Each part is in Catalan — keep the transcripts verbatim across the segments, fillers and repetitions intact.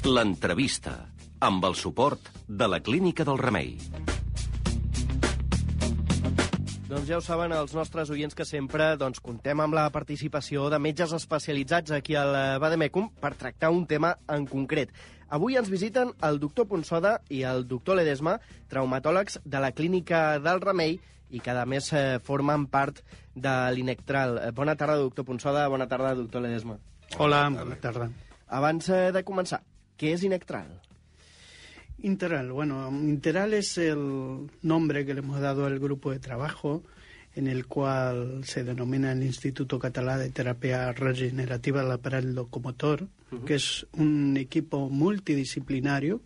L'entrevista, amb el suport de la Clínica del Remei. Doncs ja ho saben els nostres oients que sempre doncs, contem amb la participació de metges especialitzats aquí al Vademecum per tractar un tema en concret. Avui ens visiten el doctor Punsoda i el doctor Ledesma, traumatòlegs de la Clínica del Remei i que, a més, eh, formen part de l'Inectral. Bona tarda, doctor Punsoda. Bona tarda, doctor Ledesma. Hola, bona tarda. Abans eh, de començar, ¿qué es Inectral? Interal, bueno, Interal es el nombre que le hemos dado al grupo de trabajo en el cual se denomina el Instituto Català de Terapia Regenerativa del Aparell Locomotor, uh-huh. que es un equipo multidisciplinario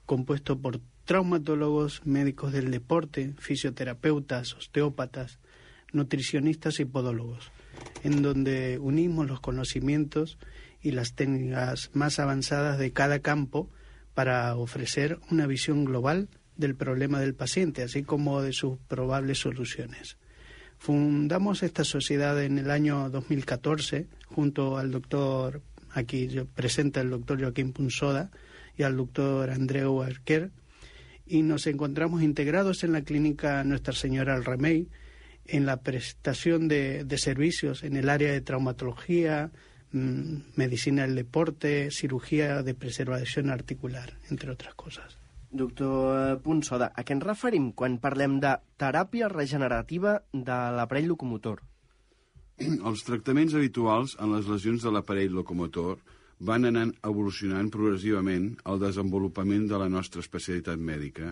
compuesto por traumatólogos, médicos del deporte, fisioterapeutas, osteópatas, nutricionistas y podólogos, en donde unimos los conocimientos y las técnicas más avanzadas de cada campo para ofrecer una visión global del problema del paciente, así como de sus probables soluciones. Fundamos esta sociedad en el año dos mil catorce, junto al doctor, aquí presenta el doctor Joaquín Punsoda y al doctor Andreu Arquer, y nos encontramos integrados en la clínica Nuestra Señora del Remei, en la prestación de, de servicios en el área de traumatología, medicina del deporte, cirugía de preservación articular, entre otras cosas. Doctor Punsoda, a què ens referim quan parlem de teràpia regenerativa de l'aparell locomotor? Els tractaments habituals en les lesions de l'aparell locomotor van anant evolucionant progressivament al desenvolupament de la nostra especialitat mèdica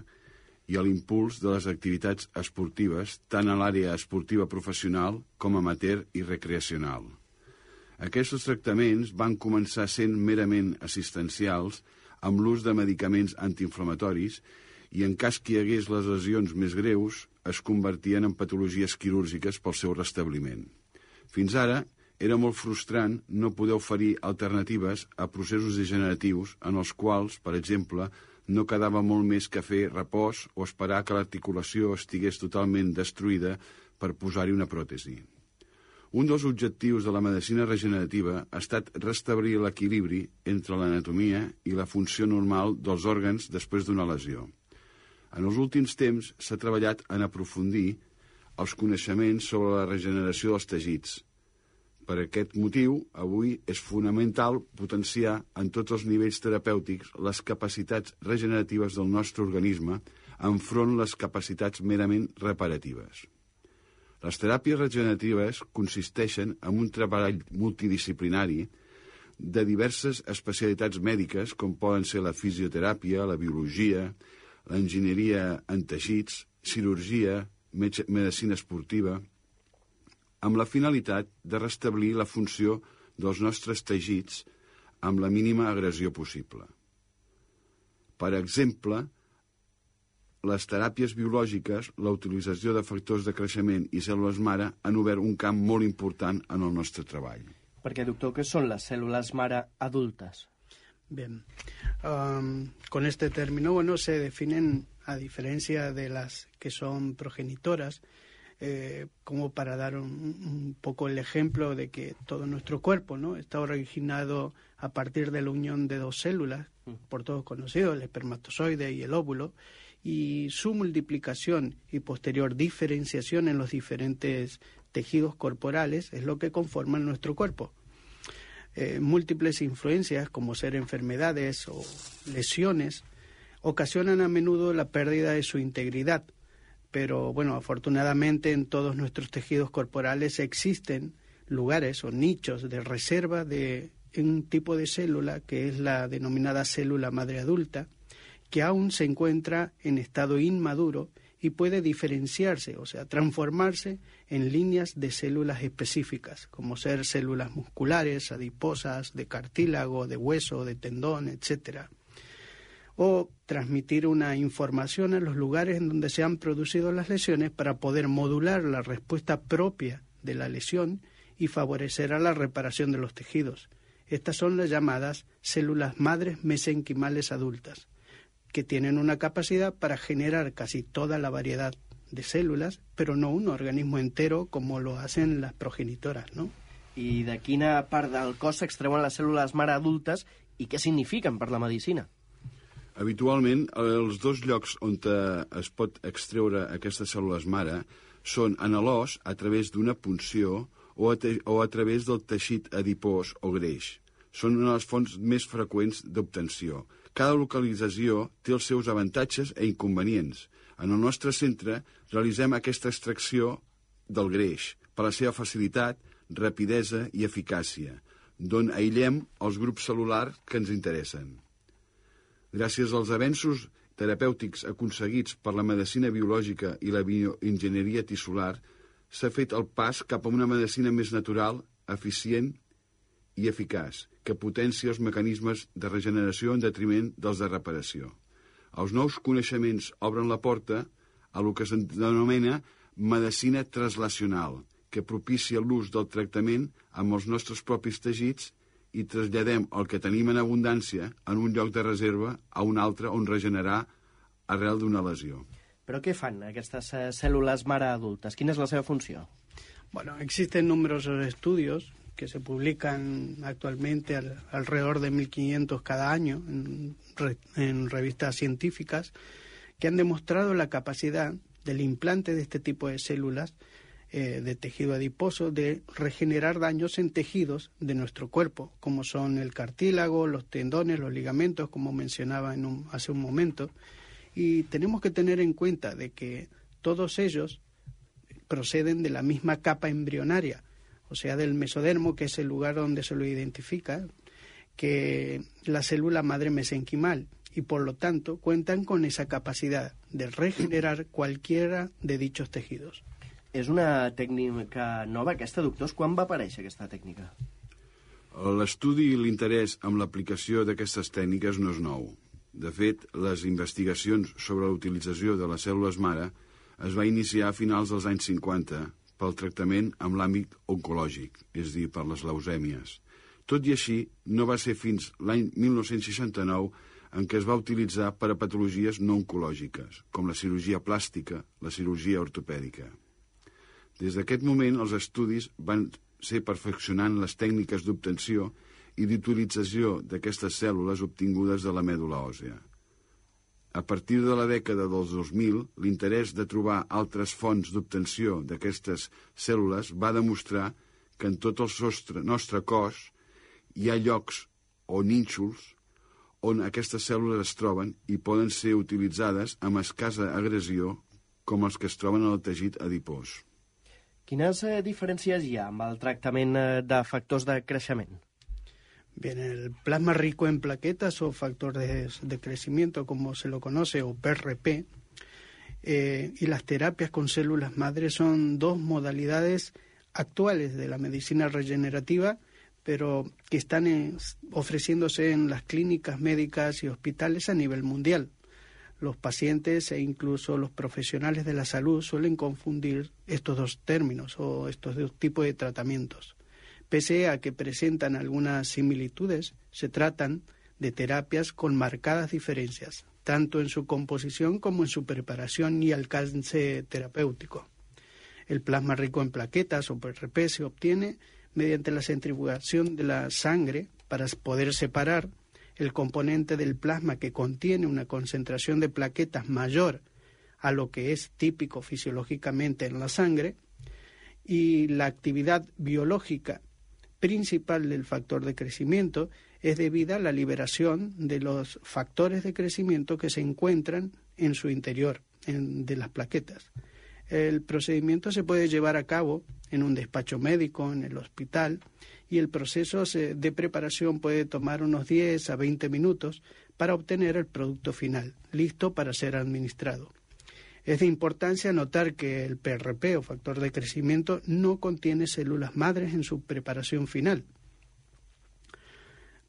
i a l'impuls de les activitats esportives tant a l'àrea esportiva professional com amateur i recreacional. Aquests tractaments van començar sent merament assistencials amb l'ús de medicaments antiinflamatoris i en cas que hi hagués les lesions més greus es convertien en patologies quirúrgiques pel seu restabliment. Fins ara era molt frustrant no poder oferir alternatives a processos degeneratius en els quals, per exemple, no quedava molt més que fer repòs o esperar que l'articulació estigués totalment destruïda per posar-hi una pròtesi. Un dels objectius de la medicina regenerativa ha estat restablir l'equilibri entre l'anatomia i la funció normal dels òrgans després d'una lesió. En els últims temps s'ha treballat en aprofundir els coneixements sobre la regeneració dels teixits. Per aquest motiu, avui és fonamental potenciar en tots els nivells terapèutics les capacitats regeneratives del nostre organisme enfront les capacitats merament reparatives. Les teràpies regeneratives consisteixen en un treball multidisciplinari de diverses especialitats mèdiques com poden ser la fisioteràpia, la biologia, l'enginyeria en teixits, cirurgia, medicina esportiva, amb la finalitat de restablir la funció dels nostres teixits amb la mínima agressió possible. Per exemple, les teràpies biològiques, la utilització de factors de creixement i cèl·lules mare han obert un camp molt important en el nostre treball. Perquè, doctor, què són les cèl·lules mare adultes? Bien, um, con este término, bueno, se definen, a diferencia de las que son progenitoras, eh, como para dar un, un poco el ejemplo de que todo nuestro cuerpo, ¿no?, está originado a partir de la unión de dos células, por todos conocidos, el espermatozoide y el óvulo, y su multiplicación y posterior diferenciación en los diferentes tejidos corporales es lo que conforman nuestro cuerpo. Eh, múltiples influencias, como ser enfermedades o lesiones, ocasionan a menudo la pérdida de su integridad, pero bueno, afortunadamente en todos nuestros tejidos corporales existen lugares o nichos de reserva de un tipo de célula que es la denominada célula madre adulta, que aún se encuentra en estado inmaduro y puede diferenciarse, o sea, transformarse en líneas de células específicas, como ser células musculares, adiposas, de cartílago, de hueso, de tendón, etcétera. O transmitir una información a los lugares en donde se han producido las lesiones para poder modular la respuesta propia de la lesión y favorecer a la reparación de los tejidos. Estas son las llamadas células madres mesenquimales adultas, que tienen una capacidad para generar casi toda la variedad de células, pero no un organismo entero como lo hacen las progenitoras, ¿no? I de quina part del cos s'extreuen les cèl·lules mare adultes i què signifiquen per la medicina. Habitualment, els dos llocs on es pot extreure aquestes cèl·lules mare són en l'os a través d'una punció o a, o a través del teixit adipós o greix. Són una de les fonts més freqüents d'obtenció. Cada localització té els seus avantatges i inconvenients. En el nostre centre realitzem aquesta extracció del greix per la seva facilitat, rapidesa i eficàcia, d'on aïllem els grups cel·lulars que ens interessen. Gràcies als avenços terapèutics aconseguits per la medicina biològica i la bioenginyeria tissular, s'ha fet el pas cap a una medicina més natural, eficient i eficaç, que potencia els mecanismes de regeneració en detriment dels de reparació. Els nous coneixements obren la porta a el que se'n denomina medicina translacional, que propicia l'ús del tractament amb els nostres propis teixits i traslladem el que tenim en abundància en un lloc de reserva a un altre on regenerar arrel d'una lesió. Però què fan aquestes eh, cèl·lules mare adultes? Quina és la seva funció? Bueno, existen numerosos estudios que se publican actualmente al, alrededor de mil quinientos cada año en, re, en revistas científicas que han demostrado la capacidad del implante de este tipo de células eh, de tejido adiposo de regenerar daños en tejidos de nuestro cuerpo, como son el cartílago, los tendones, los ligamentos, como mencionaba en un, hace un momento. Y tenemos que tener en cuenta de que todos ellos proceden de la misma capa embrionaria, o sea, del mesodermo, que es el lugar donde se lo identifica, que la célula madre mesenquimal, y por lo tanto cuentan con esa capacidad de regenerar cualquiera de dichos tejidos. És una tècnica nova, aquesta, doctors? Quan va aparèixer aquesta tècnica? L'estudi i l'interès en l'aplicació d'aquestes tècniques no és nou. De fet, les investigacions sobre la utilització de les cèl·lules mare es va iniciar a finals dels anys cinquanta pel tractament amb l'àmbit oncològic, és a dir, per les leucèmies. Tot i així, no va ser fins l'any mil nou-cents seixanta-nou en què es va utilitzar per a patologies no oncològiques, com la cirurgia plàstica, la cirurgia ortopèdica. Des d'aquest moment, els estudis van ser perfeccionant les tècniques d'obtenció i d'utilització d'aquestes cèl·lules obtingudes de la mèdula òssea. A partir de la dècada dels dos mil, l'interès de trobar altres fonts d'obtenció d'aquestes cèl·lules va demostrar que en tot el nostre, nostre cos hi ha llocs o nínxols on aquestes cèl·lules es troben i poden ser utilitzades amb escassa agressió com els que es troben en el teixit adipós. Quines eh, diferències hi ha amb el tractament eh, de factors de creixement? Bien, el plasma rico en plaquetas o factor de, de crecimiento, como se lo conoce, o P R P, eh, y las terapias con células madre son dos modalidades actuales de la medicina regenerativa, pero que están en, ofreciéndose en las clínicas médicas y hospitales a nivel mundial. Los pacientes e incluso los profesionales de la salud suelen confundir estos dos términos o estos dos tipos de tratamientos. Pese a que presentan algunas similitudes, se tratan de terapias con marcadas diferencias, tanto en su composición como en su preparación y alcance terapéutico. El plasma rico en plaquetas o P R P se obtiene mediante la centrifugación de la sangre para poder separar el componente del plasma que contiene una concentración de plaquetas mayor a lo que es típico fisiológicamente en la sangre, y la actividad biológica principal del factor de crecimiento es debida a la liberación de los factores de crecimiento que se encuentran en su interior, en, de las plaquetas. El procedimiento se puede llevar a cabo en un despacho médico, en el hospital, y el proceso de preparación puede tomar unos diez a veinte minutos para obtener el producto final, listo para ser administrado. Es de importancia notar que el P R P o factor de crecimiento no contiene células madres en su preparación final.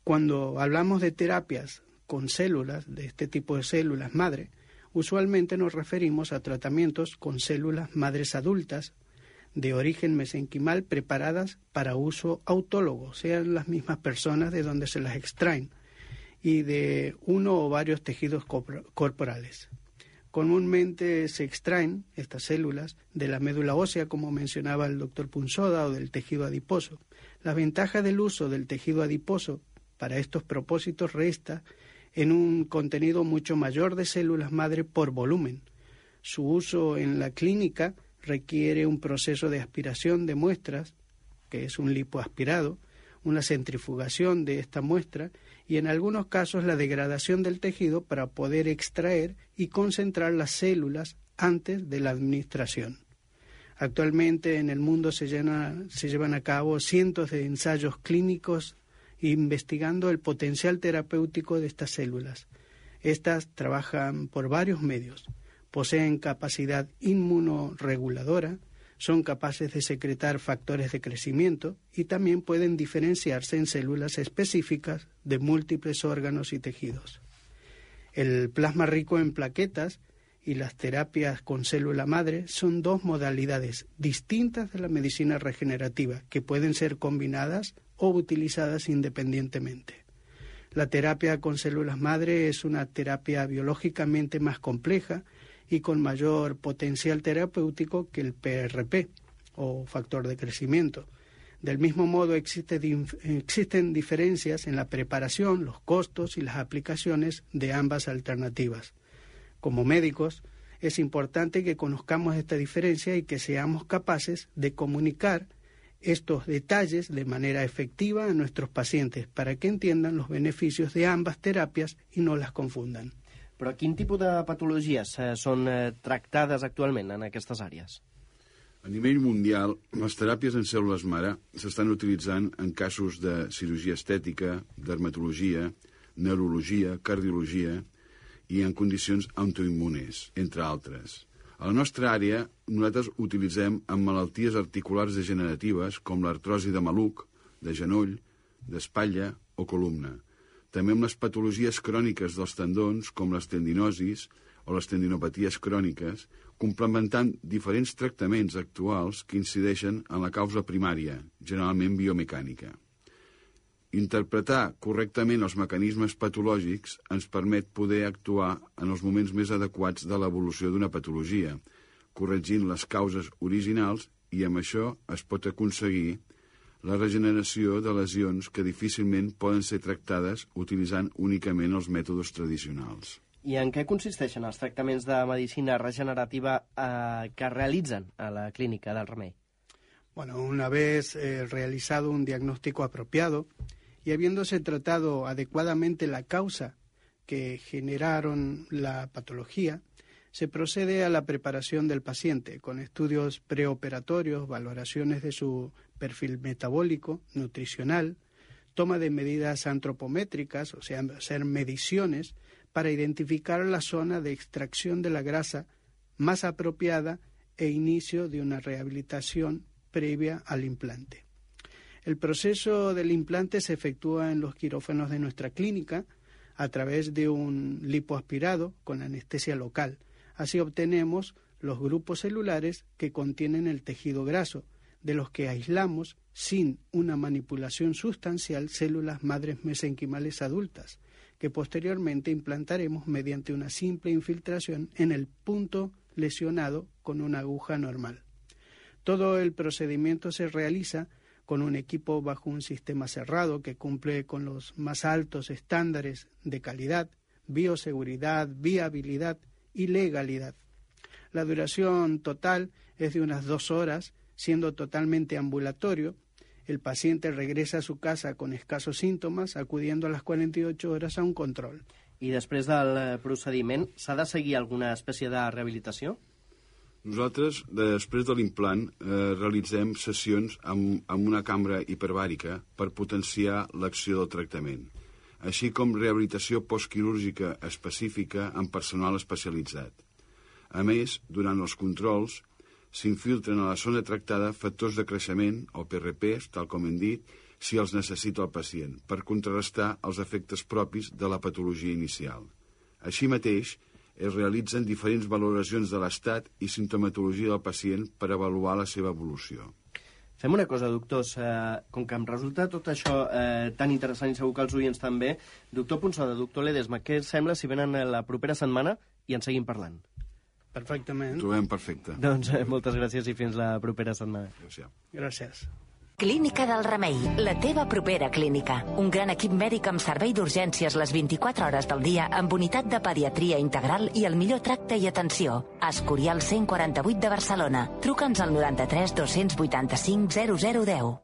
Cuando hablamos de terapias con células, de este tipo de células madre, usualmente nos referimos a tratamientos con células madres adultas de origen mesenquimal preparadas para uso autólogo, sean las mismas personas de donde se las extraen, y de uno o varios tejidos corporales. Comúnmente se extraen estas células de la médula ósea, como mencionaba el doctor Punsoda, o del tejido adiposo. La ventaja del uso del tejido adiposo para estos propósitos resta en un contenido mucho mayor de células madre por volumen. Su uso en la clínica requiere un proceso de aspiración de muestras, que es un lipoaspirado, una centrifugación de esta muestra y en algunos casos la degradación del tejido para poder extraer y concentrar las células antes de la administración. Actualmente en el mundo se, llena, se llevan a cabo cientos de ensayos clínicos investigando el potencial terapéutico de estas células. Estas trabajan por varios medios, poseen capacidad inmunorreguladora, son capaces de secretar factores de crecimiento y también pueden diferenciarse en células específicas de múltiples órganos y tejidos. El plasma rico en plaquetas y las terapias con célula madre son dos modalidades distintas de la medicina regenerativa que pueden ser combinadas o utilizadas independientemente. La terapia con células madre es una terapia biológicamente más compleja y con mayor potencial terapéutico que el P R P, o factor de crecimiento. Del mismo modo, existe, existen diferencias en la preparación, los costos y las aplicaciones de ambas alternativas. Como médicos, es importante que conozcamos esta diferencia y que seamos capaces de comunicar estos detalles de manera efectiva a nuestros pacientes para que entiendan los beneficios de ambas terapias y no las confundan. Però quin tipus de patologies eh, són eh, tractades actualment en aquestes àrees? A nivell mundial, les teràpies en cèl·lules mare s'estan utilitzant en casos de cirurgia estètica, dermatologia, neurologia, cardiologia i en condicions autoimmunes, entre altres. A la nostra àrea, nosaltres utilitzem en malalties articulars degeneratives com l'artrosi de maluc, de genoll, d'espatlla o columna. També amb les patologies cròniques dels tendons, com les tendinosis o les tendinopaties cròniques, complementant diferents tractaments actuals que incideixen en la causa primària, generalment biomecànica. Interpretar correctament els mecanismes patològics ens permet poder actuar en els moments més adequats de l'evolució d'una patologia, corregint les causes originals i amb això es pot aconseguir la regeneració de lesions que difícilment poden ser tractades utilitzant únicament els mètodes tradicionals. I en què consisteixen els tractaments de medicina regenerativa eh, que realitzen a la clínica del Remei? Bueno, una vez eh, realizado un diagnóstico apropiado y habiéndose tratado adecuadamente la causa que generaron la patología, se procede a la preparación del paciente con estudios preoperatorios, valoraciones de su perfil metabólico, nutricional, toma de medidas antropométricas, o sea, hacer mediciones para identificar la zona de extracción de la grasa más apropiada e inicio de una rehabilitación previa al implante. El proceso del implante se efectúa en los quirófanos de nuestra clínica a través de un lipoaspirado con anestesia local. Así obtenemos los grupos celulares que contienen el tejido graso, de los que aislamos, sin una manipulación sustancial, células madres mesenquimales adultas, que posteriormente implantaremos mediante una simple infiltración en el punto lesionado con una aguja normal. Todo el procedimiento se realiza con un equipo bajo un sistema cerrado que cumple con los más altos estándares de calidad, bioseguridad, viabilidad y legalidad. La duración total es de unas dos horas, siendo totalmente ambulatorio. El paciente regresa a su casa con escasos síntomas, acudiendo a las cuarenta y ocho horas a un control. I després del procediment, s'ha de seguir alguna espècie de rehabilitació? Nosaltres, després de l'implant, eh, realitzem sessions amb, amb una cambra hiperbàrica per potenciar l'acció del tractament, així com rehabilitació postquirúrgica específica amb personal especialitzat. A més, durant els controls, s'infiltren a la zona tractada factors de creixement, o P R Ps, tal com hem dit, si els necessita el pacient, per contrarrestar els efectes propis de la patologia inicial. Així mateix, es realitzen diferents valoracions de l'estat i sintomatologia del pacient per avaluar la seva evolució. Fem una cosa, doctors. Eh, com que em resulta tot això eh, tan interessant i segur que els oients també, doctor Ponsada, doctor Ledesma, què us sembla si venen la propera setmana i en seguim parlant? Perfectament. Trobem perfecte. Doncs eh, moltes gràcies i fins la propera setmana. Gràcies. Gràcies. Clínica del Remei, la teva propera clínica. Un gran equip mèdic amb servei d'urgències les vint-i-quatre hores del dia, amb unitat de pediatria integral i el millor tracte i atenció. Escorial cent quaranta-vuit de Barcelona. Truca'ns al noranta-tres dos-cents vuitanta-cinc zero zero deu.